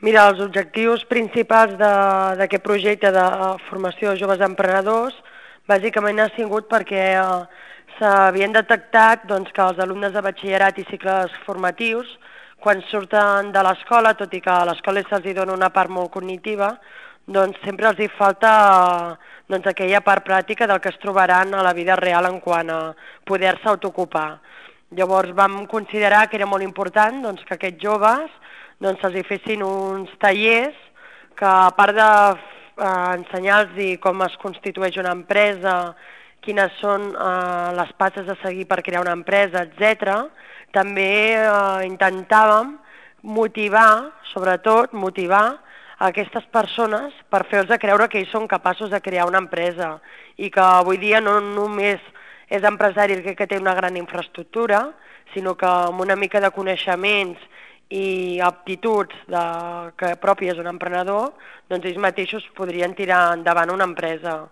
Mira, els objectius principals d'aquest projecte de formació de joves emprenedors bàsicament ha sigut perquè s'havien detectat doncs, que els alumnes de batxillerat i cicles formatius, quan surten de l'escola, tot i que a l'escola se'ls dona una part molt cognitiva, doncs sempre els hi falta doncs, aquella part pràctica del que es trobaran a la vida real en quant a poder-se autoocupar. Llavors vam considerar que era molt important doncs, que aquests joves doncs se'ls hi fessin uns tallers que, a part d'ensenyar-los com es constitueix una empresa, quines són les passes a seguir per crear una empresa, etc., també intentàvem motivar, sobretot motivar aquestes persones per fer-los creure que ells són capaços de crear una empresa i que avui dia no només és empresari el que té una gran infraestructura, sinó que amb una mica de coneixements i aptituds que pròpies d'un emprenedor, doncs ells mateixos podrien tirar endavant una empresa.